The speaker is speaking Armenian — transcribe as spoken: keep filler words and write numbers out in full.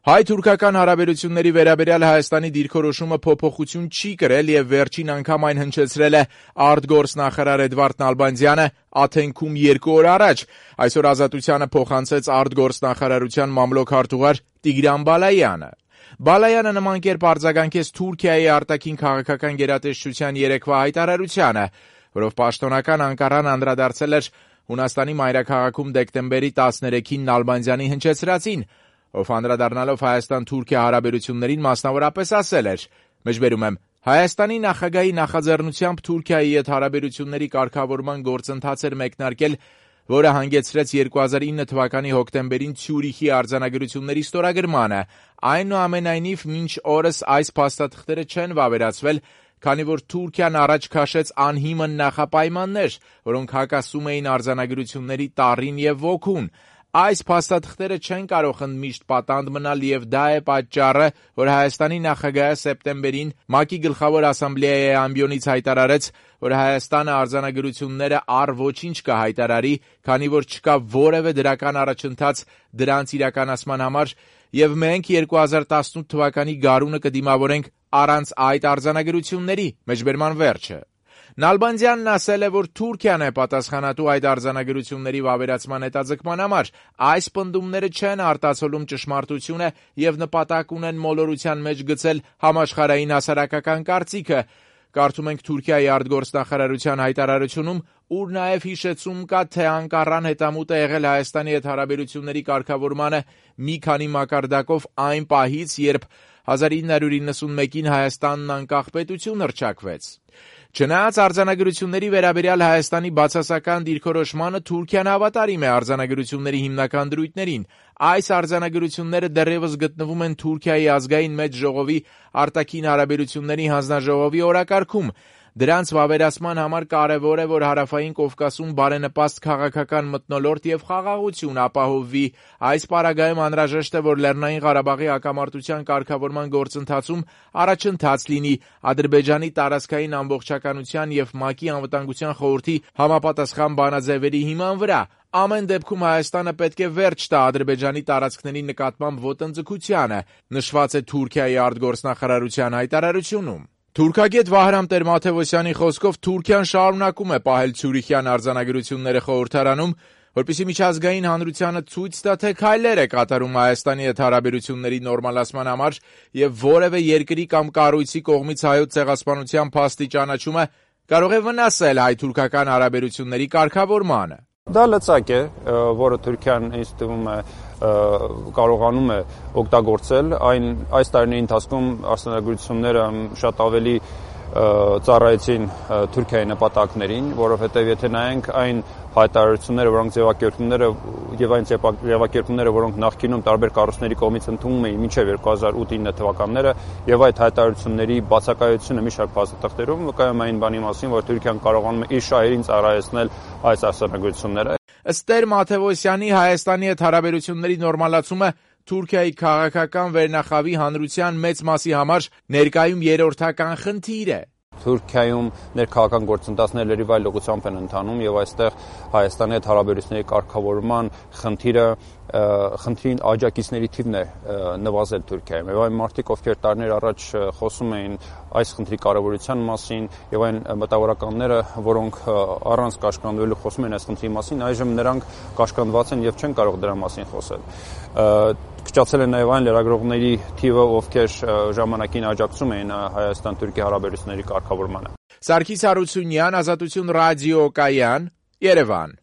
Հայ-թուրքական հարաբերությունների վերաբերյալ Հայաստանի դիրքորոշումը փոփոխություն չի կրել եւ վերջին անգամ այն հնչեցրել է արտգործնախարար Էդվարդ Նալբանդյանը Աթենքում երկու օր առաջ։ Այսօր Ազատությանը փոխանցեց արտգործնախարարության մամլոք հարտուղար Տիգրան Բալայանը։ Բալայանը նման կերպ արձագանքեց Թուրքիայի արտաքին քաղաքական գերատեսչության երեկվա հայտարարությանը, որով պաշտոնական Անկարան անդրադարձել էր Հունաստանի մայրաքաղաքում դեկտեմբերի տասներեքին Նալբանդյանի հնչեցրածին, ով անդրադառնալով Հայաստան-Թուրքիա հարաբերություններին մասնավորապես ասել էր. «Մեջբերում եմ, Հայաստանի նախագահի նախաձեռնությամբ Թուրքիայի հետ հարաբերությունների կարգավորման գործընթաց էր մեկնարկել, որը հանգեցրեց երկու հազար ինը թվականի հոկտեմբերին Ցյուրիխի արձանագրությունների ստորագրմանը։ Այնուամենայնիվ, մինչ օրս այս փաստաթղթերը չեն վավերացվել, քանի որ Թուրքիան առաջ քաշեց անհիմն նախապայմաններ, որոնք հակասում էին արձանագրությունների տառին եւ ոգուն։ Այս փաստաթղթերը չեն կարող ընդմիշտ պատանդ մնալ եւ դա է պատճառը, որ Հայաստանի նախագահը սեպտեմբերին ՄԱԿ-ի գլխավոր ասամբլեայի ամբիոնից հայտարարեց, որ Հայաստանը արձանագրությունները առ ոչինչ կհայտարարի, քանի որ չկա որևէ դրական առաջընթաց դրանց իրականացման համար եւ մենք երկու հազար տասնութ թվականի գարունը կդիմավորենք առանց այդ արձանագրությունների»։ Մեջբերման վերջը։ Նալբանդյանն ասել է, որ Թուրքիան է պատասխանատու այդ արձանագրությունների վավերացման հետաձգման համար։ Այս պնդումները չեն արտացոլում ճշմարտությունը եւ նպատակ ունեն մոլորության մեջ գցել համաշխարհային հասարակական կարծիքը։ Կարդում ենք Թուրքիայի արտգործնախարարության հայտարարությունում, ուր նաեւ հիշեցում կա, թե Անկարան հետամուտ է եղել Հայաստանի հետ հարաբերությունների կարգավորմանը մի քանի մակարդակով այն պահից, երբ հազար ինը հարյուր իննսունմեկին Հայաստանն անկախ պետություն հռչակվեց։ Չնայած արձանագրությունների վերաբերյալ Հայաստանի բացասական դիրքորոշմանը, Թուրքիան հավատարիմ է արձանագրությունների հիմնական դրույթներին։ Այս արձանագրությունները դեռևս գտնվում են Թուրքիայի ազգային մեծ ժողովի արտաքին հարաբերությունների հանձնաժողովի օրակարգում։ Դրանց վավերացման համար կարևոր է, որ Հարավային Կովկասում բարենպաստ քաղաքական մթնոլորտ եւ խաղաղություն ապահովվի։ Այս պարագայում անհրաժեշտ է, որ Լեռնային Ղարաբաղի հակամարտության կարգավորման գործընթացում առաջընթաց լինի Ադրբեջանի տարածքային ամբողջականության եւ ՄԱԿ-ի անվտանգության խորհրդի համապատասխան բանաձևերի հիման վրա։ Ամեն դեպքում Հայաստանը պետք է վերջ տա Ադրբեջանի տարածքների նկատմամբ ոտնձգությանը, նշված է Թուրքիայի արտգործնախարարության հայտարարությունում։ Թուրքագետ Վահրամ Տեր-Մաթևոսյանի խոսքով Թուրքիան շարունակում է պահել Ցյուրիխյան արձանագրությունները խորհրդարանում, որպեսզի միջազգային հանրությանը ցույց տա, թե քայլեր է կատարում Հայաստանի հետ հարաբերությունների նորմալացման համար եւ որևէ երկրի կամ կառույցի կողմից հայոց ցեղասպանության փաստի ճանաչումը կարող է վնասել հայ-թուրքական հարաբերությունների կարգավորմանը։ Դա լծակ է, որը Թուրքիան ինձ թվում է կարողանում է օգտագործել։ Այն այս տարիների ընթացքում արձանագրությունները շատ ավելի ծառայեցին Թուրքիայի նպատակներին, որովհետև եթե նայենք այն հայտարարությունները, որոնք ձևակերպումները եւ այն ձևակերպումները, որոնք նախկինում տարբեր կառույցների կողմից ընդունվում էին մինչեւ երկու հազար ութ ինը թվականները եւ այդ հայտարարությունների բացակայությունը մի շարք փաստաթղթերում վկայում այն բանի մասին, որ Թուրքիան կարողանում է իր շահերին ծառայեցնել այս արձանագրությունները։ Ըստ Տեր-Մաթևոսյանի, Հայաստանի հետ հարաբերությունների նորմալացումը Թուրքիայի քաղաքական վերնախավի հանրության մեծ մասի համար ներկայում երրորդական խնդիր է։ Թուրքիայում ներքաղաքական գործընթացները լրիվ այլ ուղղությամբ են ընթանում եւ այստեղ Հայաստանի հետ հարաբերությունների կարգավորման խնդիրը խնդրին աջակիցների թիվն է նվազել Թուրքիայում եւ այն մարդիկ, ովքեր տարիներ առաջ խոսում էին այս խնդրի կարեւորության մասին եւ այն մտավորականները, որոնք առանց կաշկանդվելու խոսում են այս խնդրի մասին, այժմ նրանք կաշկանդված են եւ չեն կարող դրա մասին խոսել։ Քչացել է նաև այն լրագրողների թիվը, ովքեր ժամանակին աջակցում էին Հայաստան-Թուրքիա հարաբերությունների կարգավորմանը։ Սարգիս Հարությունյան, Ազատություն ռադիո, Կայան, Երևան։